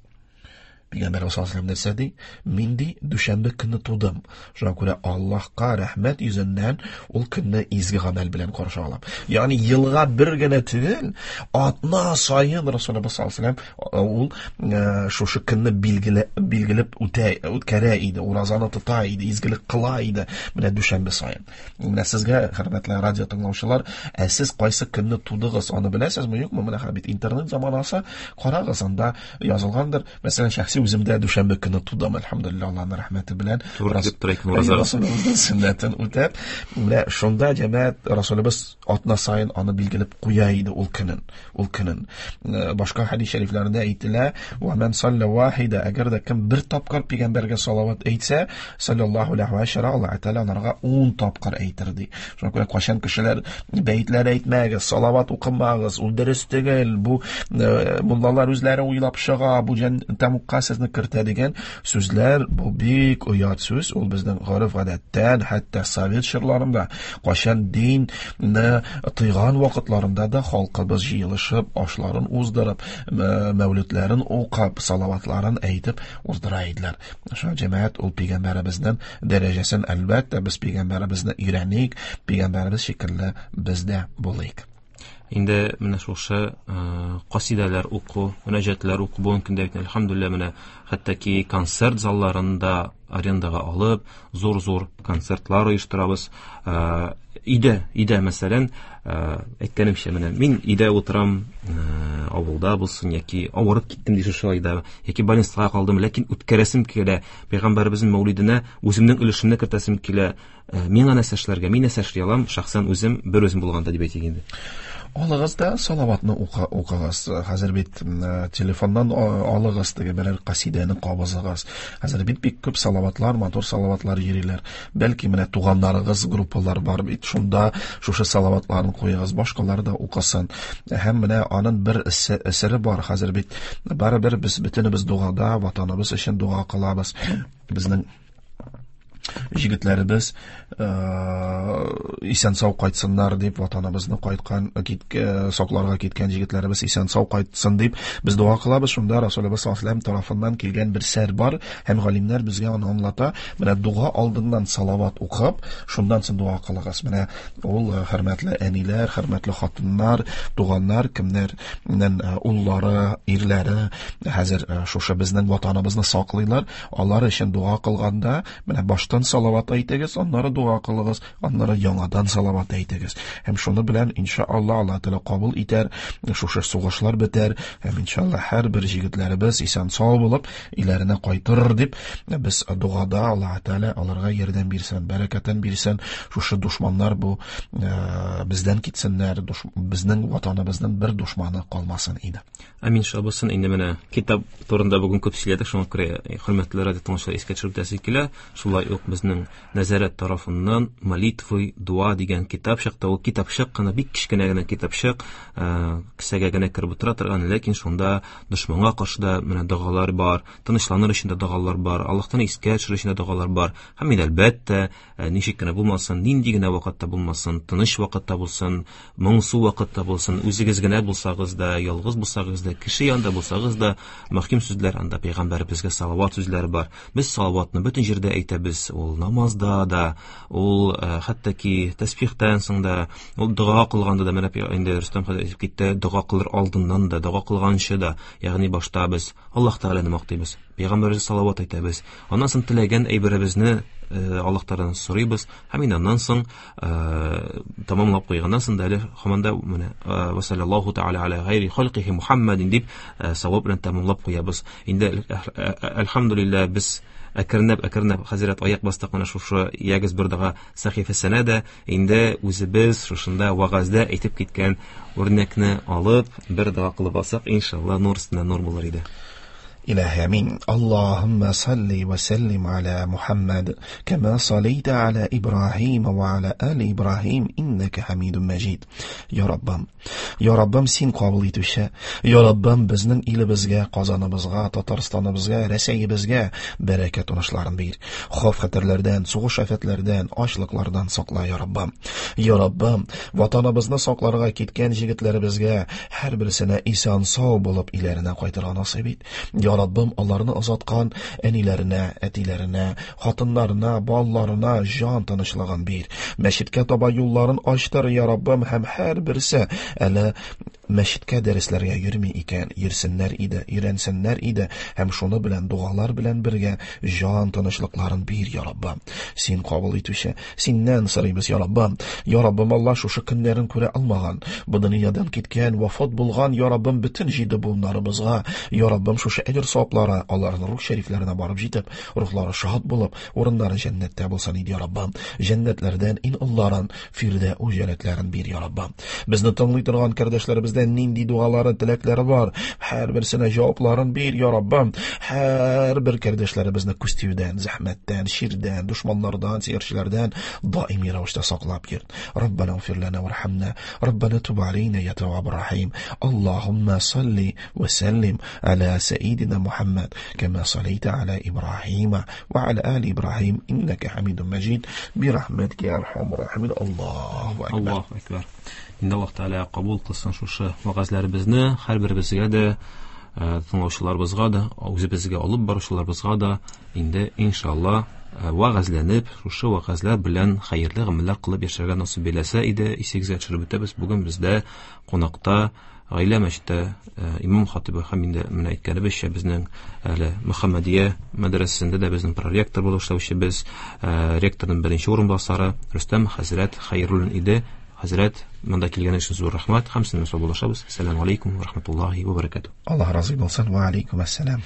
Пәйгамбәребез саллаллаһу алейһи ва сәлләм нәрсә ди? Мин ди дүшәмбе көнне тудым. Шуңа күрә Аллаһка рәхмәт йөзеннән ул көнне изге гамәл белән каршы алам. Ягъни елга бер генә түгел, атна саен Расулыбыз саллаллаһу алейһи ва сәлләм ул шушы көнне билгеле билгеләп үтә, үткәрә иде, уразаны тота иде, изгелек кыла иде менә дүшәмбе саен. Менә сезгә, хөрмәтле радио тыңлаучылар, ә сез кайсы көнне тудыгыз, аны беләсезме, юкмы? Менә бит интернет заманасы, карагыз, анда язылгандыр. Мәсәлән, шәхси үземдә дүшәмбе көне тудым, әлхәмдүлилләһ, Аллаһның рәхмәте белән. Расулыбызның сөннәтен үтәп, менә шунда җәмәгать Расулыбыз атна саен аны билгеләп куя иде ул көнен, ул көнен. Башка хәдис шәрифләрендә әйтелә: "Ва ман салла вахида", әгәр дә кем бер тапкыр пәйгамбәргә салават әйтсә, саллаллаһу алейһи ва саллям, Аллаһ Тәгалә аларга ун тапкыр әйтер ди. Шуңа күрә кайчан кешеләр бәетләр әйтмәгез, салават укымагыз, ул дөрес түгел, бу муллалар үзләре уйлап чыга, бу тәмугка сезне кертә дигән сүзләр, бу бик оят сүз. Ул безнең гореф-гадәттән, хәтта совет чорларында, кайчан динне тыйган вакытларында да халкыбыз җыелышып, ашларын уздырып, мәүлидләрен укып, салаватларын әйтеп уздыра иделәр. Шуңа җәмәгать ул пәйгамбәребезнең дәрәҗәсен, әлбәттә, без пәйгамбәребезне өйрәник, пәйгамбәребез шикелле без дә булыйк. Инде менә шушы касидәләр уку, мөнәҗәтләр уку бүгенге көндә бит, әлхәмдүлилләһ, менә хәтта ки концерт залларында арендага алып, зур-зур концертлар оештырабыз. Өйдә, өйдә мәсәлән, әйткәнемчә, менә мин өйдә утырам, авылда булсын, яки авырып киттем ди шушы айда, яки больницага калдым, ләкин үткәрәсем килә, пәйгамбәребезнең мәүлиденә үземнең өлешемне кертәсем килә. Миңа нәрсә эшләргә, мин нәрсә эшли алам, шәхсән үзем, бер үзем булганда дип әйтик инде. Алыгыз да салаватны укыгыз. Хәзер бит телефоннан алыгыз, теге берәр касидәне кабызыгыз. Хәзер бит бик күп салаватлар, матур салаватлар йөриләр. Бәлки менә туганнарыгыз группалар бар бит, шунда шушы салаватларны куегыз, башкалар да укысын. Һәм менә аның бер әсәре бар. Хәзер бит барыбер без бөтенебез дугада, ватаныбыз өчен дуга кылабыз. Безнең җегетләребез исән сау кайтсыннар дип, ватаныбызны кайткан, сакларга киткән җегетләребез исән сау кайтсын дип без дуа кылабыз. Шунда Расулыбыз саллаллаһу алейһи ва сәлләм тарафыннан килгән бер сәр бар, һәм галимнәр безгә аны аңлата. Менә дуа алдыннан салават укып, шуннан соң дуа кылыгыз. Менә ул хөрмәтле әниләр, хөрмәтле хатыннар, туганнар, кемнәрнең уллары, ирләре хәзер шушы безнең ватаныбызны саклыйлар, алар өчен дуа кылганда менә башта салават әйтегез, аннары дуа кылыгыз, аннары яңадан салават әйтегез. Һәм шуны белән иншалла Аллаһ Тәгалә кабул итәр, шушы сугышлар бетәр, һәм иншалла һәрбер җегетләребез исән сау булып өйләренә кайтыр дип без дуада Аллаһ Тәгалә аларга ярдәм бирсен, бәрәкәтен бирсен. Шушы душманнар бу бездән китсеннәр, безнең ватаныбызның бер душманы калмасын иде. Амин шабысын. Инде менә китап турында бүген күп сөйләдек, шуңа күрә хөрмәтле радио тыңлаучылар искә төшереп үтәсе килә. Шулай ук безнең нәзарәт тарафыннан молитвы, дуа дигән китап чыкты. Ул китапчык кына, бик кечкенә генә китапчык, кесәгә генә кереп утыра торган, ләкин шунда дошманга каршы да менә догалар бар, тынычланыр өчен дә догалар бар, Аллаһтан искә төшерер өчен дә догалар бар. Һәм инде әлбәттә, ничек кенә булмасын, нинди генә вакытта булмасын, тыныч вакытта булсын, моңсу вакытта булсын, үзегез генә булсагыз да, ялгыз булсагыз да, кеше янында булсагыз да, мөһим сүзләр анда пәйгамбәребезгә салават сүзләре бар. Без салаватны бөтен җирдә әйтәбез, ул намазда да, ул хәтта ки тәсбихтән соң да, ул дога кылганда да, менә инде Рөстәм хәзрәт әйтеп китте, дога кылыр алдыннан да, дога кылганчы да, ягъни башта без Аллаһ Тәгаләне мактыйбыз, пәйгамбәребезгә салават әйтәбез, аннан соң теләгән әйберебезне Аллаһ Тәгаләдән сорыйбыз, һәм инде аннан соң тамамлап куйганнан соң да әле һаман да менә ва саллаллаһу тәгалә аля гайри халкихи Мухаммадин дип савап белән тамамлап куябыз. Инде әлхәмдүлилләһ без әкренләп әкренләп хәзрәт аяк бастык менә шушы ягез бер дога сәхифәсенә дә, инде үзебез шушында вәгазьдә әйтеп киткән үрнәкне алып бер дога кылып алсак, иншалла нур өстенә нур булыр иде. إلهي أمين. اللهم صل وسلم على محمد كما صليت على إبراهيم وعلى آل إبراهيم إنك حميد مجيد. يا ربم، يا ربم سين قابل итүче, يا ربم безнең илебезгә, Казаныбызга, Татарстаныбызга, Рәсәйебезгә бәрәкәт уңышларын бир. Хәвеф-хәтәрләрдән, сугыш афәтләрдән, ачлыклардан сакла, я Раббым. Я Раббым, ватаныбызны сакларга киткән җегетләребезгә һәрберсенә исән сау булып өйләренә кайтырга насыйп ит. Я Раббым, аларны озаткан әниләренә, әтиләренә, хатыннарына, балаларына җан тынычлыгын бир. Мәчеткә таба юлларын ачтыр, я Раббым, һәм һәрберсе әле мәчеткә дәресләргә йөрми икән, йөрсеннәр иде, өйрәнсеннәр иде, һәм шуны белән дугалар белән бергә җан тынычлыкларын бир, я Раббым. Син кабул итүче, синнән сорыйбыз, я Раббым. Я Раббым, Алла шушы көннәрен күрә алмаган, бу дөньядан киткән, вафат булган, я Раббым, бөтен җиде буыннарыбызга, я Раббым, шушы әҗер саваплары аларның рух шәрифләренә барып җитеп, рухлары шат булып, урыннары җәннәттә булсын иде, я Раббым. Җәннәтләрдән иң олыларын, фирдәүс җәннәтләрен бир, я Раббым. Безне тыңлый торган кардәшләребез нинди дуалары, теләкләре бар, һәрберсенә җавапларын бир, я Раббым. Һәрбер кардәшләребезне күз тиюдән, зәхмәттән, ширдән, дошманнардан, сихерчеләрдән даими рәвештә саклап йөрт. Раббана игъфир лана вархамна, Раббана туб алейна я тавваб рахим. Аллаһумма салли ва саллим аля саидина Мухаммад кама саллайта аля Ибраһима ва аля али Ибраһим иннака хамидун маҗид би рахматика я архамар рахимин. Аллаһу акбар. Аллаһу акбар. Инде Аллаһ Тәгалә кабул кылсын шушы вәгазьләребезне, һәрберебезгә дә, тыңлаучыларыбызга да, үзебезгә алып баручыларыбызга да инде иншалла вәгазьләнеп, шушы вәгазьләр белән хәерле гамәлләр кылып яшәргә насыйп әйләсә иде. Исегезгә төшереп үтәбез, бүген бездә кунакта Гаилә мәчете имам хатибы һәм инде менә әйткәнебезчә безнең әле Мөхәммәдия мәдрәсәсендә дә безнең проректор булып эшләүчебез, ректорның беренче урынбасары Рөстәм хәзрәт Хәйруллин иде. Хәзрәт, монда килгән өчен зур рәхмәт. Һәм сезнең белән саубуллашабыз. Ассаламу алейкум ва рахматуллахи ва баракатуһ. Аллаһ разый булсын. Ва алейкум ассалам.